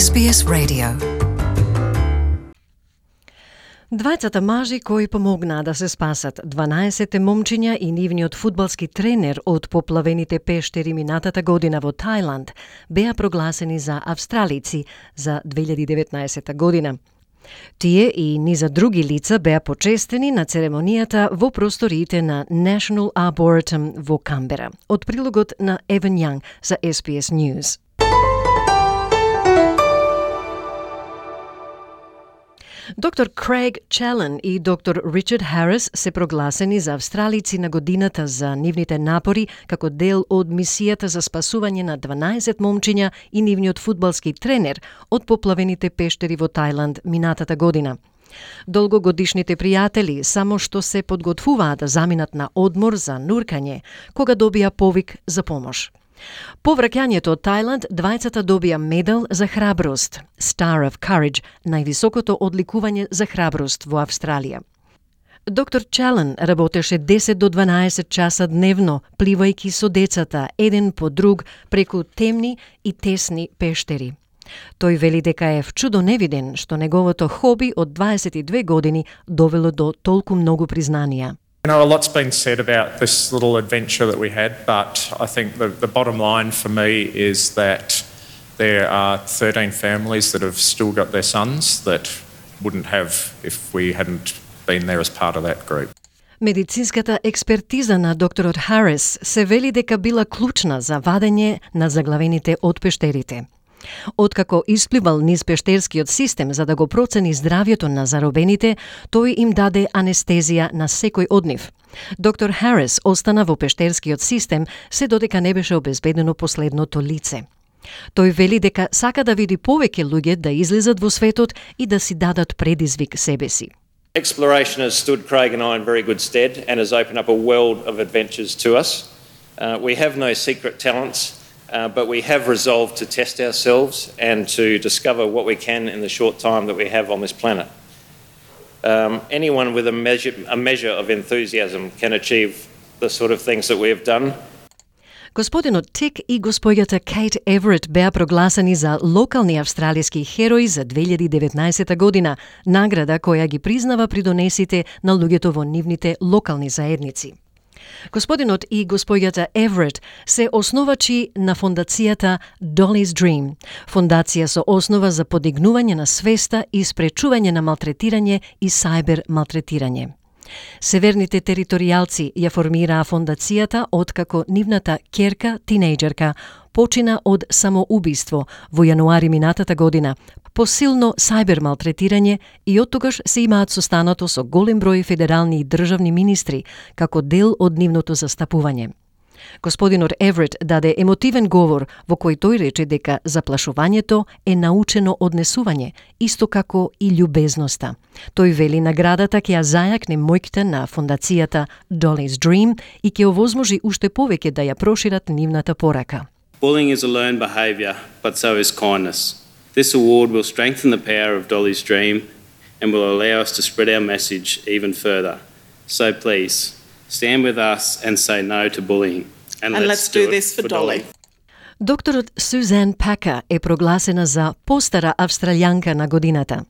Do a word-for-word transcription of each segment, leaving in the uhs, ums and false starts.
Ес Би Ес Radio. Двајцата мажи кои помогнаа да се спасат дванаесет момчиња и нивниот фудбалски тренер од поплавените пештери минатата година во Тајланд беа прогласени за австралици за две илјади и деветнаесета година. Тие и низа други лица беа почестени на церемонијата во просториите на National Arboretum во Камбера. Од прилогот на Еван Јанг за Ес Би Ес News. Доктор Крейг Челен и доктор Ричард Харис се прогласени за австралици на годината за нивните напори како дел од мисијата за спасување на дванаесет момчиња и нивниот фудбалски тренер од поплавените пештери во Тајланд минатата година. Долгогодишните пријатели само што се подготвуваа да заминат на одмор за нуркање, кога добија повик за помош. По враќањето од Тајланд, двајцата добија медал за храброст, Star of Courage, највисокото одликување за храброст во Австралија. Доктор Челен работеше десет до дванаесет часа дневно, пливајќи со децата, еден по друг, преку темни и тесни пештери. Тој вели дека е вчудо невиден што неговото хоби од дваесет и две години довело до толку многу признанија. You know, a lot's been said about this little adventure that we had, but I think the, the bottom line for me is that there are thirteen families that have still got their sons that wouldn't have if we hadn't been there as part of that group. Медицинската експертиза на докторот Харис се вели дека била клучна за вадење на заглавените од пештерите. Откако испливал низ пештерскиот систем за да го процени здравјето на заробените, тој им даде анестезија на секој од нив. Доктор Харис остана во пештерскиот систем се додека не беше обезбедено последното лице. Тој вели дека сака да види повеќе луѓе да излезат во светот и да си дадат предизвик себе си. Exploration has stood Craig and I in very good stead and has opened up a world of adventures to us. Uh, we have no secret talents. Uh, but we have resolved to test ourselves and to discover what we can in the short time that we have on this planet. Um, anyone with a measure, a measure of enthusiasm can achieve the sort of things that we have done. Господинот Тик и господјата Кейт Еверет беа прогласени за локални австралиски херои за две илјади и деветнаесета година, награда која ги признава придонесите на луѓето во нивните локални заедници. Господинот и господјата Еверет се основачи на фондацијата Dolly's Dream, фондација со основа за подигнување на свеста и спречување на малтретирање и сајбер малтретирање. Северните територијалци ја формираа фондацијата откако нивната ќерка, тинејџерка, почина од самоубиство во јануари минатата година, по силно сајбер малтретирање и оттогаш се имаат состанато со голем број федерални и државни министри како дел од нивното застапување. Господинот Еверет даде емотивен говор во кој тој рече дека заплашувањето е научено однесување, исто како и љубезноста. Тој вели наградата ќе ја зајакне моќта на фондацијата Dolly's Dream и ќе овозможи уште повеќе да ја прошират нивната порака. Bullying is a learned behaviour, but so is kindness. This award will strengthen the power of Dolly's Dream and will allow us to spread our message even further. So please, stand with us and say no to bullying. And, And let's, let's do this for Dolly. Dolly. Докторот Сузан Пака е прогласена за постара австралијанка на годината.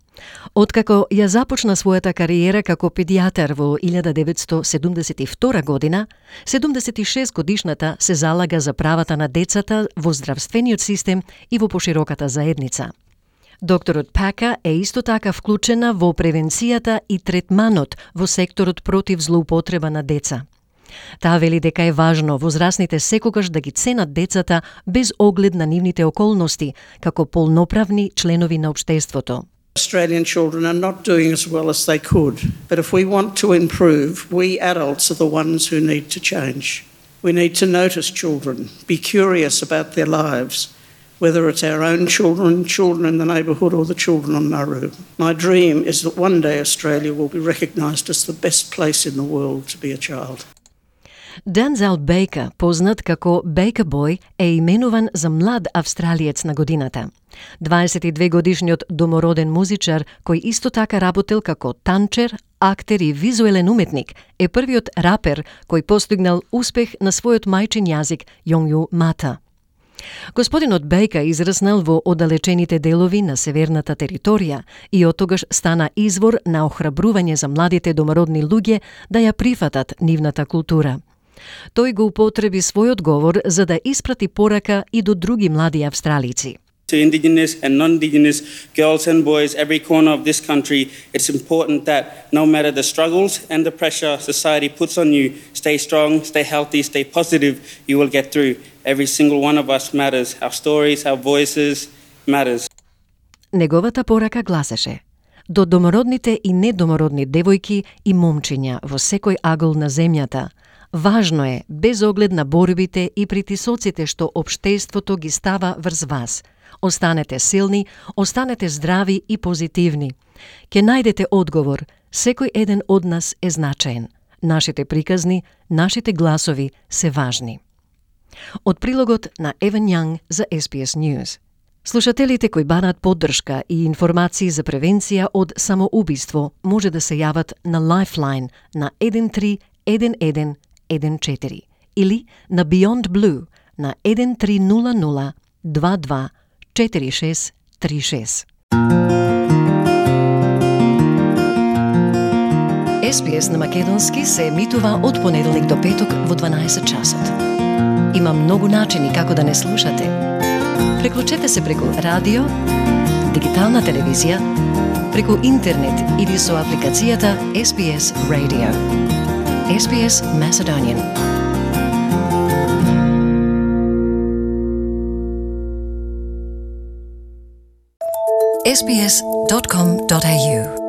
Откако ја започна својата кариера како педијатар во илјада деветстотини седумдесет и втора година, седумдесет и шест годишната се залага за правата на децата во здравствениот систем и во пошироката заедница. Докторот Пака е исто така вклучена во превенцијата и третманот во секторот против злоупотреба на деца. Таа вели дека е важно возрастните секогаш да ги ценат децата без оглед на нивните околности, како полноправни членови на општеството. Australian children are not doing as well as they could, but if we want to improve, we adults are the ones who need to change. We need to notice children, be curious about their lives, whether it's our own children, children in the neighbourhood or the children on Nauru. My dream is that one day Australia will be recognised as the best place in the world to be a child. Дензел Бейка, познат како Бейка Бој, е именуван за млад австралиец на годината. дваесет и две годишниот домороден музичар, кој исто така работел како танчер, актер и визуелен уметник, е првиот рапер кој постигнал успех на својот мајчин јазик Јонгју Мата. Господинот Бейка израснал во оддалечените делови на северната територија и оттогаш стана извор на охрабрување за младите домородни луѓе да ја прифатат нивната култура. Тој го употреби својот говор за да испрати порака и до други млади австралици. To Indigenous and non-Indigenous girls and boys every corner of this country, it's important that no matter the struggles and the pressure society puts on you, stay strong, stay healthy, stay positive, you will get through. Every single one of us matters. Our stories, our voices matters. Неговата порака гласеше: до домородните и недомородни девојки и момчиња во секој агол на земјата, важно е, без оглед на борбите и притисоците што општеството ги става врз вас, останете силни, останете здрави и позитивни. Ке најдете одговор, секој еден од нас е значаен. Нашите приказни, нашите гласови се важни. Од прилогот на Еван Јанг за Ес Би Ес News. Слушателите кои бараат поддршка и информации за превенција од самоубиство може да се јават на Lifeline на еден три еден еден еден четири или на Beyond Blue на еден три нула нула два два четири шест три шест. Ес Би Ес на македонски се емитува од понеделник до петок во дванаесет часот. Има многу начини како да не слушате. Преклучете се преку радио, дигитална телевизија, преку интернет или со апликацијата Ес Би Ес Radio. Ес Би Ес Macedonian. ес би ес dot com dot a u